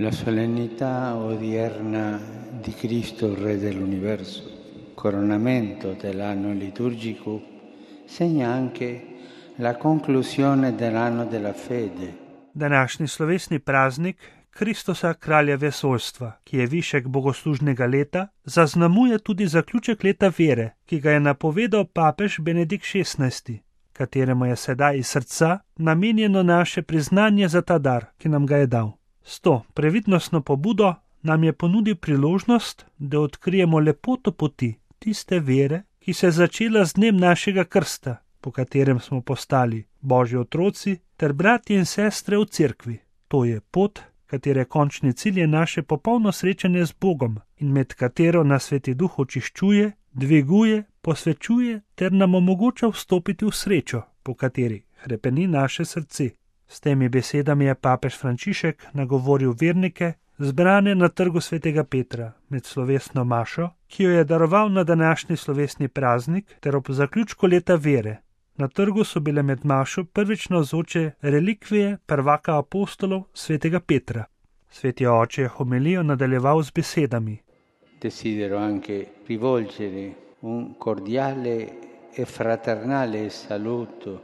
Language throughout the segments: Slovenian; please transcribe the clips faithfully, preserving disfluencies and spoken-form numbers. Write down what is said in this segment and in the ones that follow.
La solennità odierna di Cristo, Re dell'universo, coronamento dell'anno liturgico, segna anche la conclusione dell'anno della fede. Današnji slovesni praznik Kristosa, kralja vesoljstva, ki je višek bogoslužnega leta, zaznamuje tudi zaključek leta vere, ki ga je napovedal papež Benedikt šestnajsti, kateremu je sedaj iz srca namenjeno naše priznanje za ta dar, ki nam ga je dal. S to previdnostno pobudo nam je ponudil priložnost, da odkrijemo lepoto poti tiste vere, ki se je začela z dnem našega krsta, po katerem smo postali Božji otroci ter bratje in sestre v cerkvi. To je pot, katere končni cilj je naše popolno srečanje z Bogom in med katero nas Sveti Duh očiščuje, dviguje, posvečuje ter nam omogoča vstopiti v srečo, po kateri hrepeni naše srce. S temi besedami je papež Frančišek nagovoril vernike, zbrane na trgu Svetega Petra med slovesno mašo, ki jo je daroval na današnji slovesni praznik ter ob zaključku leta vere. Na trgu so bile med mašo prvič navzoče relikvije prvaka apostolov Svetega Petra. Sveti oče je homilijo nadaljeval z besedami. Desidero anche rivolgere un cordiale e fraternale saluto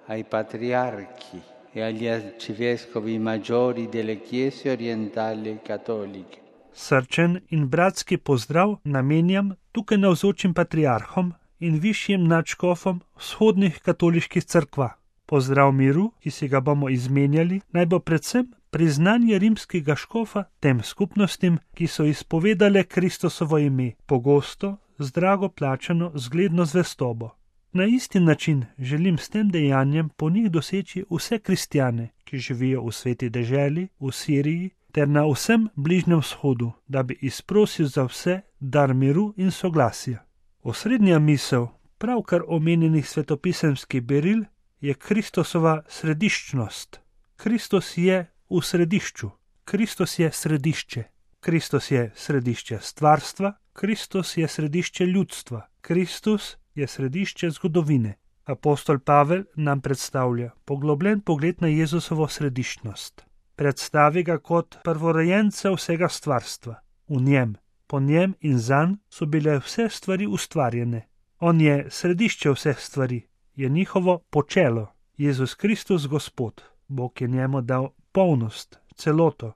ai patriarchi e agli arcivescovi maggiori delle chiese orientali cattoliche. Srčen in bratski pozdrav namenjam tukaj navzočim patriarhom in višjim nadškofom vzhodnih katoliških cerkva. Pozdrav miru, ki si ga bomo izmenjali, naj bo predvsem priznanje rimskega škofa tem skupnostim, ki so izpovedale Kristosovo ime, pogosto z drago plačano zgledno zvestobo. Na isti način želim s tem dejanjem po njih doseči vse kristjane, ki živijo v sveti deželi, v Siriji ter na vsem Bližnjem vzhodu, da bi izprosil za vse dar miru in soglasja. Osrednja misel pravkar omenjenih svetopisemskih beril je Kristosova središčnost. Kristus je v središču. Kristus je središče. Kristus je središče stvarstva. Kristus je središče ljudstva. Kristus je središče zgodovine. Apostol Pavel nam predstavlja poglobljen pogled na Jezusovo središčnost. Predstavi ga kot prvorojenca vsega stvarstva. V njem, po njem in zanj so bile vse stvari ustvarjene. On je središče vseh stvari, je njihovo počelo. Jezus Kristus Gospod, Bog je njemu dal polnost, celoto,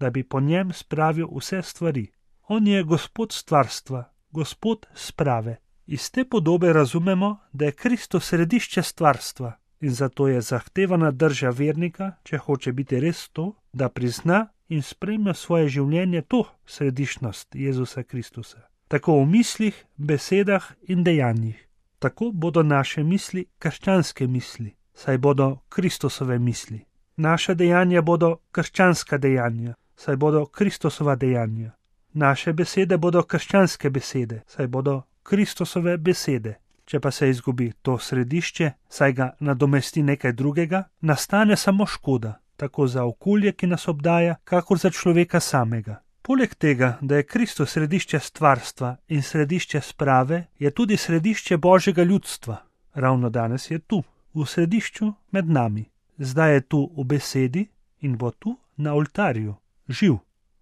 da bi po njem spravil vse stvari. On je Gospod stvarstva, Gospod sprave. Iz te podobe razumemo, da je Kristus središče stvarstva in zato je zahtevana drža vernika, če hoče biti res to, da prizna in sprejme svoje življenje to središčnost Jezusa Kristusa. Tako v mislih, besedah in dejanjih. Tako bodo naše misli krščanske misli, saj bodo Kristusove misli. Naša dejanja bodo krščanska dejanja, saj bodo Kristusova dejanja. Naše besede bodo krščanske besede, saj bodo Kristusove besede. Če pa se izgubi to središče, saj ga nadomesti nekaj drugega, nastane samo škoda, tako za okolje, ki nas obdaja, kakor za človeka samega. Poleg tega, da je Kristus središče stvarstva in središče sprave, je tudi središče Božjega ljudstva. Ravno danes je tu, v središču med nami. Zdaj je tu v besedi in bo tu na oltarju, živ,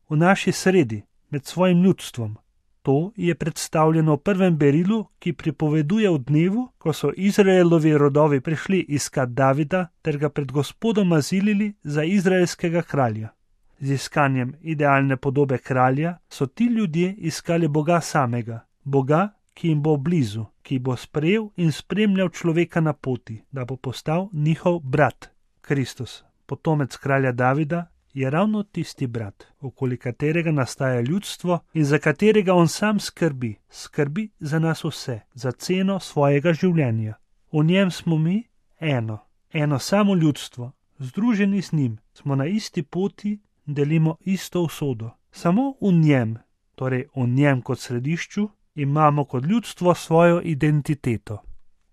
v naši sredi, med svojim ljudstvom. To je predstavljeno v prvem berilu, ki pripoveduje o dnevu, ko so Izraelovi rodovi prišli iskat Davida ter ga pred Gospodom azilili za izraelskega kralja. Z iskanjem idealne podobe kralja so ti ljudje iskali Boga samega, Boga, ki jim bo blizu, ki bo sprejel in spremljal človeka na poti, da bo postal njihov brat. Kristus, potomec kralja Davida, je ravno tisti brat, okoli katerega nastaja ljudstvo in za katerega on sam skrbi, skrbi za nas vse, za ceno svojega življenja. V njem smo mi eno, eno samo ljudstvo, združeni z njim, smo na isti poti, delimo isto usodo. Samo v njem, torej v njem kot središču, imamo kot ljudstvo svojo identiteto.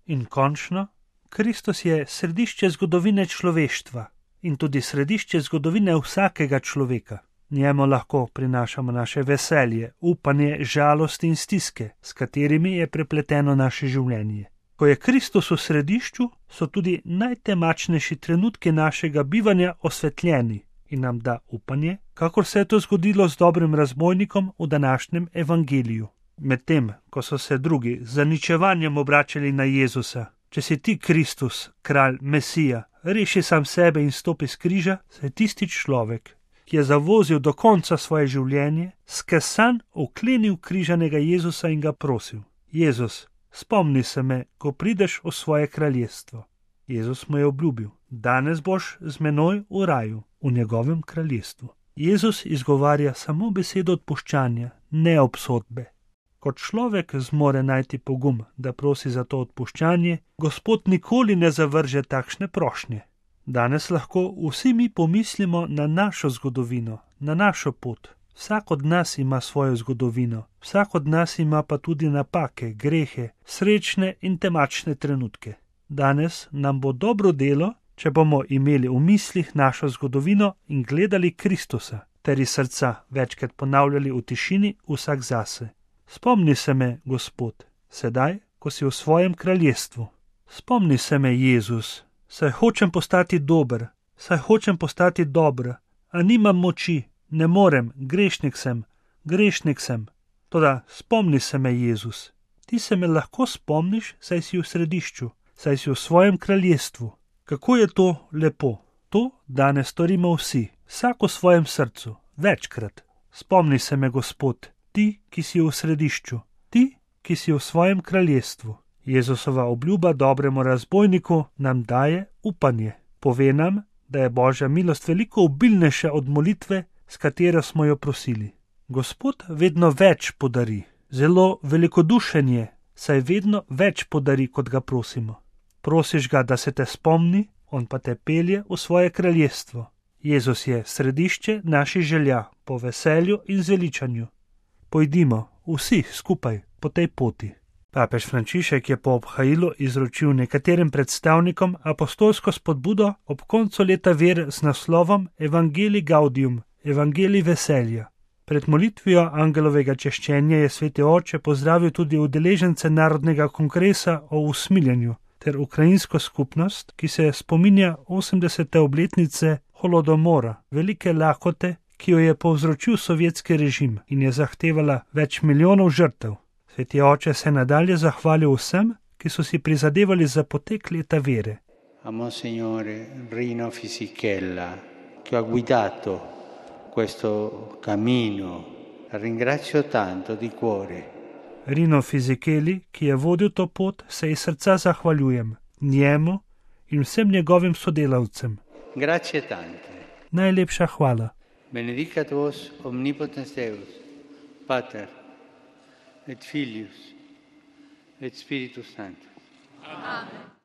In končno, Kristus je središče zgodovine človeštva in tudi središče zgodovine vsakega človeka. Njemu lahko prinašamo naše veselje, upanje, žalost in stiske, s katerimi je prepleteno naše življenje. Ko je Kristus v središču, so tudi najtemačnejši trenutki našega bivanja osvetljeni in nam da upanje, kakor se je to zgodilo z dobrim razbojnikom v današnjem evangeliju. Medtem, ko so se drugi z zaničevanjem obračali na Jezusa, če si ti Kristus, kralj, Mesija, reši sam sebe in stopi s križa, se je tisti človek, ki je zavozil do konca svoje življenje, skesan oklenil križanega Jezusa in ga prosil: Jezus, spomni se me, ko prideš v svoje kraljestvo. Jezus mu je obljubil: danes boš z menoj v raju, v njegovem kraljestvu. Jezus izgovarja samo besedo odpuščanja, ne obsodbe. Kot človek zmore najti pogum, da prosi za to odpuščanje, Gospod nikoli ne zavrže takšne prošnje. Danes lahko vsi mi pomislimo na našo zgodovino, na našo pot. Vsak od nas ima svojo zgodovino, vsak od nas ima pa tudi napake, grehe, srečne in temačne trenutke. Danes nam bo dobro delo, če bomo imeli v mislih našo zgodovino in gledali Kristusa, ter iz srca večkrat ponavljali v tišini vsak zase. Spomni se me, Gospod, sedaj, ko si v svojem kraljestvu. Spomni se me, Jezus, saj hočem postati dober, saj hočem postati dobra, a nimam moči, ne morem, grešnik sem, grešnik sem. Toda spomni se me, Jezus. Ti se me lahko spomniš, saj si v središču, saj si v svojem kraljestvu. Kako je to lepo. To danes storimo vsi, vsak v svojem srcu, večkrat. Spomni se me, Gospod, ti, ki si v središču, ti, ki si v svojem kraljestvu. Jezusova obljuba dobremu razbojniku nam daje upanje. Pove nam, da je Božja milost veliko obilnejša od molitve, s katero smo jo prosili. Gospod vedno več podari, zelo velikodušen je, saj vedno več podari, kot ga prosimo. Prosiš ga, da se te spomni, on pa te pelje v svoje kraljestvo. Jezus je središče naših želja po veselju in zveličanju. Pojdimo vsi skupaj po tej poti. Papež Frančišek je po obhajilu izročil nekaterim predstavnikom apostolsko spodbudo ob koncu leta ver z naslovom Evangelii Gaudium, Evangelij veselja. Pred molitvijo angelovega češčenja je sveti oče pozdravil tudi udeležence Narodnega kongresa o usmiljenju ter ukrajinsko skupnost, ki se spominja osemdesete obletnice holodomora, velike lakote, ki jo je povzročil sovjetski režim in je zahtevala več milijonov žrtev. Sveti oče se nadalje zahvalil vsem, ki so si prizadevali za potek leta vere. A Monsignore Rino Fisichella, che ha guidato questo cammino, ringrazio tanto di cuore. Rino Fisicheli, ki je vodil to pot, se iz srca zahvaljujem njemu in vsem njegovim sodelavcem. Grazie tante. Najlepša hvala. Benedicat vos omnipotens Deus, Pater et Filius et Spiritus Sanctus. Amen.